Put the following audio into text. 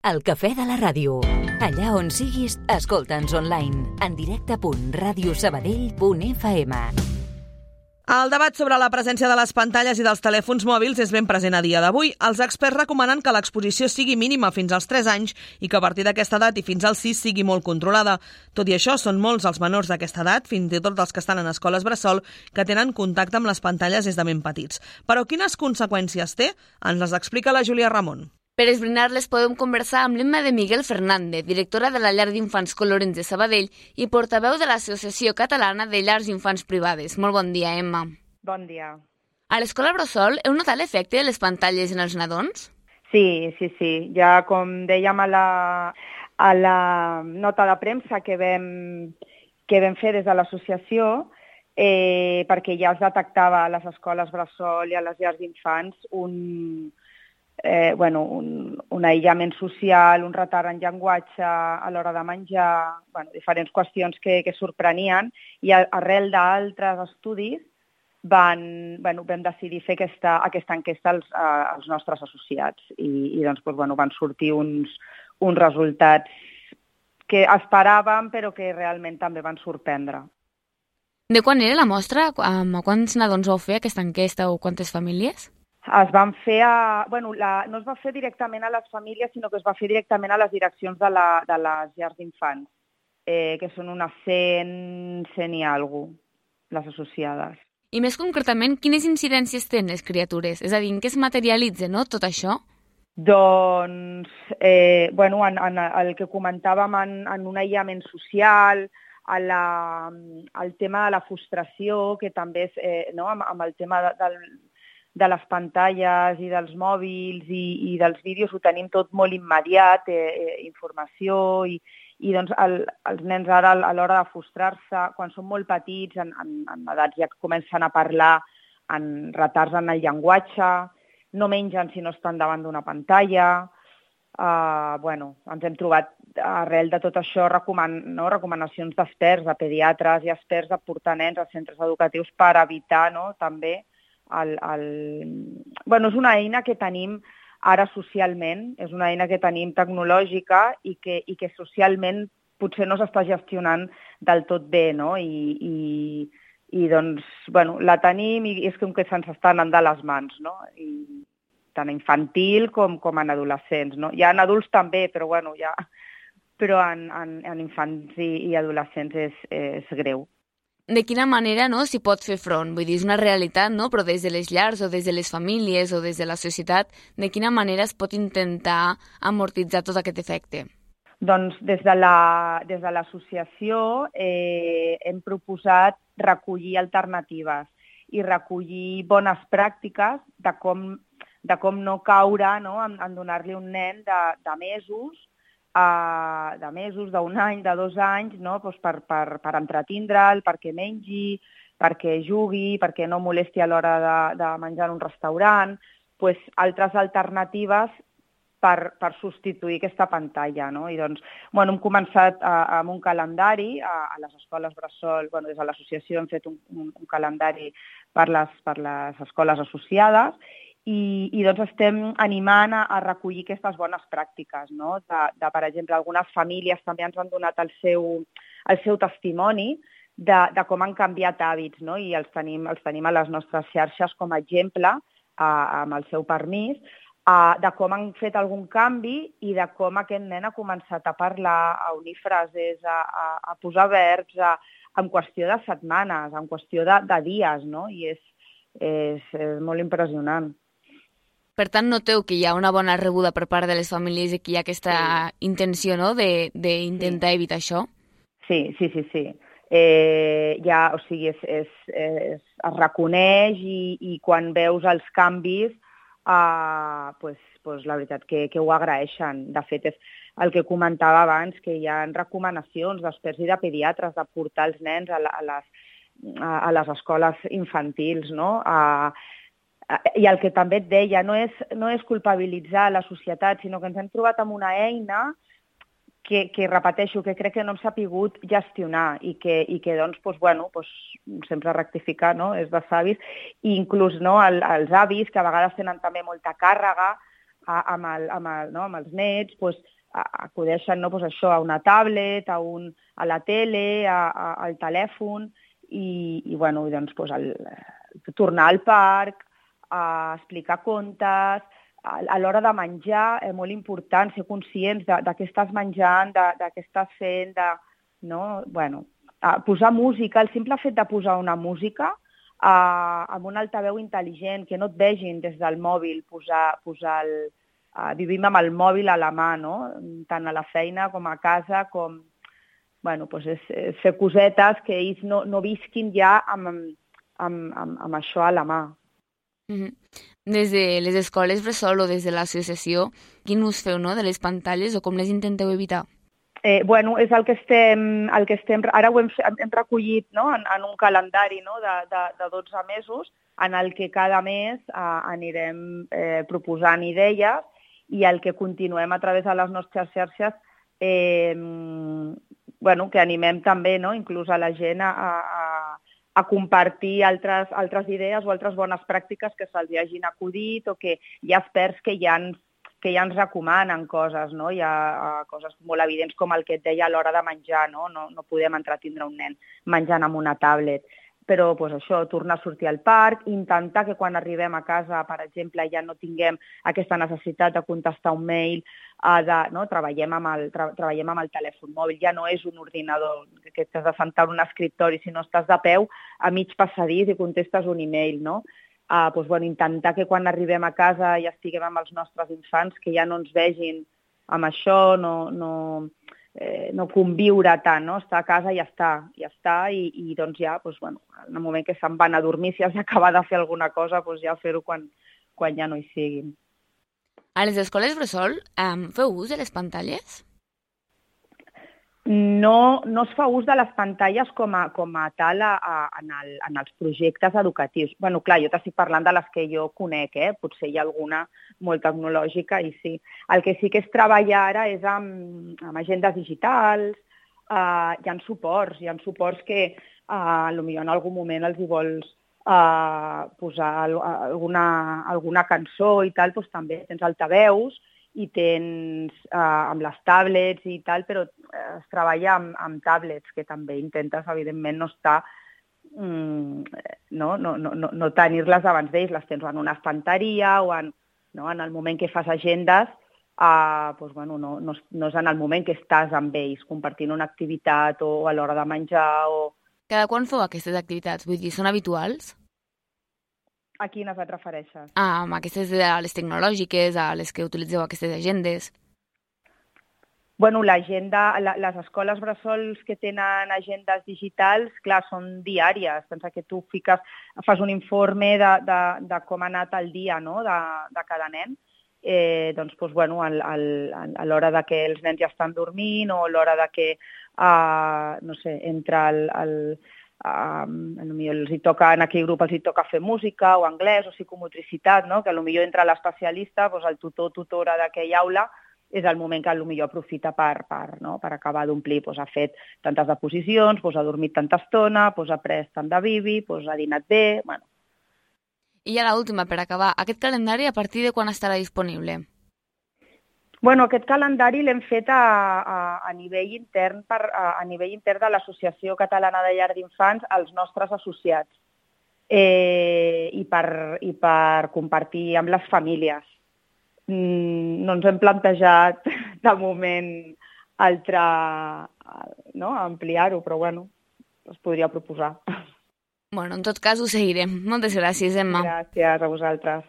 El cafè de la ràdio. Allà on siguis, escolta'ns online. En directe.radiosabadell.fm. El debat sobre la presència de les pantalles i dels telèfons mòbils és ben present a dia d'avui. Els experts recomanen que l'exposició sigui mínima fins als 3 anys i que a partir d'aquesta edat i fins als 6 sigui molt controlada. Tot i això, són molts els menors d'aquesta edat, fins i tot els que estan en escoles bressol, que tenen contacte amb les pantalles des de ben petits. Però quines conseqüències té? Ens les explica la Júlia Ramon. Per esbrinar-les podem conversar amb l'Emma de Miguel Fernández, directora de la llar d'infants Colorins de Sabadell i portaveu de l'Associació Catalana de Llars d'Infants Privades. Molt bon dia, Emma. Bon dia. A l'escola bressol heu notat l'efecte de les pantalles en els nadons? Sí. Ja com dèiem a la nota de premsa que vam fer des de l'associació, perquè ja es detectava a les escoles bressol i a les llars d'infants un aïllament social, un retard en llenguatge a l'hora de menjar, diferents qüestions que sorprenien, i arrel d'altres estudis vam decidir fer aquesta enquesta als nostres associats i van sortir uns resultats que esperàvem però que realment també van sorprendre. De quan era la mostra? A quants nadons vau fer aquesta enquesta o quantes famílies? Es van fer no es va fer directament a les famílies, sinó que es va fer directament a les direccions de les llars d'infants, que són unes 100 i alguna cosa, les associades. I més concretament, quines incidències tenen les criatures? És a dir, en què es materialitza, no, tot això? Doncs, el que comentàvem en un aïllament social, el tema de la frustració, que també és amb el tema de les pantalles i dels mòbils i dels vídeos ho tenim tot molt immediat, informació, i doncs els nens ara a l'hora de frustrar-se, quan són molt petits, en edats ja comencen a parlar en retards en el llenguatge, no mengen si no estan davant d'una pantalla. Ens hem trobat arrel de tot això recomanacions d'experts, de pediatres i experts de portar nens als centres educatius per evitar també és una eina que tenim ara socialment, és una eina que tenim tecnològica i que socialment potser no s'està gestionant del tot bé, no? I la tenim i és com que se'ns està anant de les mans, no? I tant infantil com en adolescents, no? Hi ha en adults també, però en infants i adolescents és greu. De quina manera s'hi pot fer front? Vull dir, és una realitat, no? Però des de les llars o des de les famílies o des de la societat, de quina manera es pot intentar amortitzar tot aquest efecte? Doncs des de l'associació hem proposat recollir alternatives i recollir bones pràctiques de com no caure en donar-li un nen de mesos, d'un any, de 2 anys, per entretindre'l, perquè mengi, perquè jugui, perquè no molesti a l'hora de menjar en un restaurant, altres alternatives per substituir aquesta pantalla. No? I hem començat amb un calendari a les escoles bressol, des de l'associació hem fet un calendari per les escoles associades, i estem animant a recollir aquestes bones pràctiques, no? Per exemple, algunes famílies també ens han donat el seu testimoni de com han canviat hàbits, no? I els tenim a les nostres xarxes com a exemple, amb el seu permís, de com han fet algun canvi i de com aquest nen ha començat a parlar, a unir frases, a posar verbs en qüestió de setmanes, en qüestió de dies, no? I és molt impressionant. Per tant, noteu que hi ha una bona rebuda per part de les famílies i que hi ha aquesta intenció d'intentar evitar això? Sí. Es reconeix i quan veus els canvis, la veritat que ho agraeixen. De fet, és el que comentava abans, que hi ha recomanacions d'experts i de pediatres de portar els nens a les escoles infantils, no? I el que també et deia, no és culpabilitzar la societat, sinó que ens hem trobat amb una eina que repeteixo, que crec que no hem sapigut gestionar i que sempre rectificar, no? És de savis, i inclús els avis, que a vegades tenen també molta càrrega, amb els nets, doncs, acudeixen, no, doncs això, a una tablet, a la tele, al telèfon, i bueno, doncs, tornar al parc, a explicar contes, a l'hora de menjar, és molt important ser conscients de què estàs menjant, de què estàs fent, no? Bueno, posar música, el simple fet de posar una música amb un altaveu intel·ligent, que no et vegin des del mòbil, vivim amb el mòbil a la mà, no? Tant a la feina com a casa, com... Bueno, doncs és fer cosetes que ells no visquin ja amb això a la mà. Des de les escoles bressol o des de l'associació, quin ús feu, no?, de les pantalles o com les intenteu evitar? Bueno, és el que estem... Ara ho hem recollit, no?, en un calendari, no?, de 12 mesos, en el que cada mes anirem proposant idees, i el que continuem a través de les nostres xarxes, bueno, que animem també, no?, inclús a la gent a compartir altres idees o altres bones pràctiques que se'ls hagin acudit, o que hi ha experts que ja ens recomanen coses, no? Hi ha coses molt evidents com el que et deia a l'hora de menjar, no? No podem entretindre un nen menjant amb una tablet. Però doncs, això, tornar a sortir al parc, intentar que quan arribem a casa, per exemple, ja no tinguem aquesta necessitat de contestar un mail, no? Treballem amb el telèfon mòbil, ja no és un ordinador que t'has de sentar en un escriptori, sinó estàs de peu a mig passadís i contestes un email, no? Doncs, bueno, intentar que quan arribem a casa i estiguem amb els nostres infants, que ja no ens vegin amb això, no conviure tant, no? Estar a casa i ja està, i doncs ja, doncs, bueno, en el moment que se'n van a dormir, si has d'acabar de fer alguna cosa, doncs ja fer-ho quan ja no hi siguin. A les escoles bressol feu ús de les pantalles? No es fa ús de les pantalles com a tal en els projectes educatius. Bueno, clar, jo t'estic parlant de les que jo conec, potser hi ha alguna molt tecnològica i sí. El que sí que és treballar ara és amb agendes digitals, hi ha suports que potser en algun moment els hi vols posar alguna cançó i tal, doncs també tens altaveus, i tens amb les tablets i tal, però es treballa amb tablets, que també intentes, evidentment, no estar, no tenir-les abans d'ells, les tens en una estanteria o en el moment que fas agendes, doncs, bueno, no és en el moment que estàs amb ells, compartint una activitat o a l'hora de menjar. Cada quan feu aquestes activitats? Vull dir, són habituals? A quines et refereixes? A aquestes, a les tecnològiques, a les que utilitzeu aquestes agendes. Bueno, l'agenda, les escoles bressols que tenen agendes digitals, clar, són diàries. Pensa que tu fas un informe de com ha anat el dia, no?, de cada nen. Doncs, bueno, a l'hora de que els nens ja estan dormint, o a l'hora de que, no sé, entra en aquell grup els hi toca fer música o anglès o psicomotricitat, no? Que potser entra l'especialista, doncs el tutora d'aquella aula, és el moment que potser aprofita per acabar d'omplir. Ha fet tantes deposicions, ha dormit tanta estona, ha pres tant de bibi, ha dinat bé... Bueno. I ja l'última, per acabar, aquest calendari a partir de quan estarà disponible? Bueno, aquest calendari l'hem fet a nivell intern de l'Associació Catalana de Llars d'Infants als nostres associats, i per compartir amb les famílies. No ens hem plantejat de moment ampliar-ho, però bueno, es podria proposar. Bueno, en tot cas ho seguirem. Moltes gràcies, Emma. Gràcies a vosaltres.